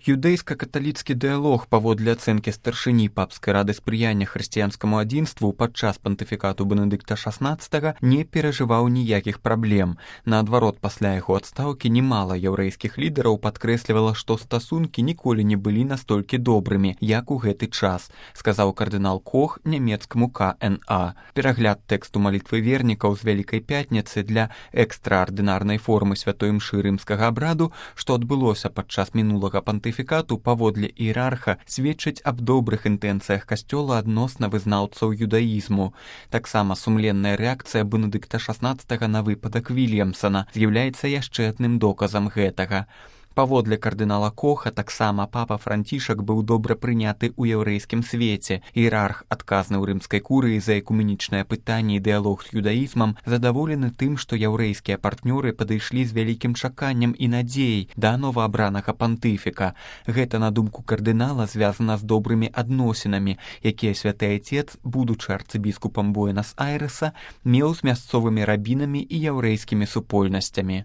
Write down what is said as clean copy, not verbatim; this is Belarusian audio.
Юдэйска-каталіцкі дыялог паводле ацэнкі старшыні папскай рады спрыяння хрысціянскаму адзінству падчас пантыфікату Бенедыкта XVI не перажываў ніякіх праблем. Наадварот, пасля яго адстаўкі немала яўрэйскіх лідараў падкрэслівала, што стасункі ніколі не былі настолькі добрымі, як у гэты час, сказаў кардынал Кох нямецкаму КНА. Перагляд тэксту малітвы вернікаў з Вялікай Пятніцы для экстраардынарнай формы святой імшы рымскага абраду, што адбылося падчас мінулага пантыфікату паводле іерарха, сведчыць аб добрых інтэнцыях касцёла адносна вызнаўцаў юдаізму. Таксама сумленная рэакцыя Бенедыкта XVI на выпадак Вільямсана з'яўляецца яшчэ адным доказам гэтага. Паводле кардынала Коха таксама папа Францішак быў добра прыняты ў яўрэйскім свеце. Іерарх, адказны ў рымскай курыі за экуменічнае пытанне і дыялог з юдаізмам, задаволены тым, што яўрэйскія партнёры падышлі з вялікім чаканнем і надзеяй да новаабранага пантыфіка. Гэта, на думку кардынала, звязана з добрымі адносінамі, якія святы айцец, будучы арцыбіскупам Буэнас-Айрэса, меў з мясцовымі рабінамі і яўрэйскімі супольнасцямі.